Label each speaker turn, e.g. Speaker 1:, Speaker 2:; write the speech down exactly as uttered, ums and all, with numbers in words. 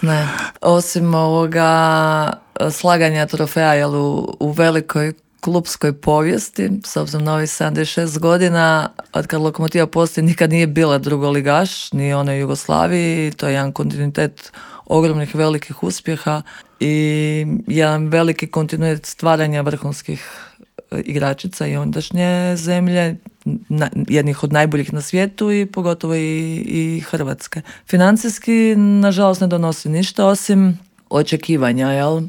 Speaker 1: Ne. Osim ovoga slaganja trofeja jel, u, u velikoj klupskoj povijesti, s obzirom na ovih sedamdeset šest godina, od kad Lokomotiva postoji, nikad nije bila drugoligaš, ni ona u Jugoslaviji, to je jedan kontinuitet ogromnih velikih uspjeha i jedan veliki kontinuitet stvaranja vrhunskih igračica i ondašnje zemlje, na, jednih od najboljih na svijetu i pogotovo i, i Hrvatske. Financijski, nažalost, ne donosi ništa osim očekivanja, jel?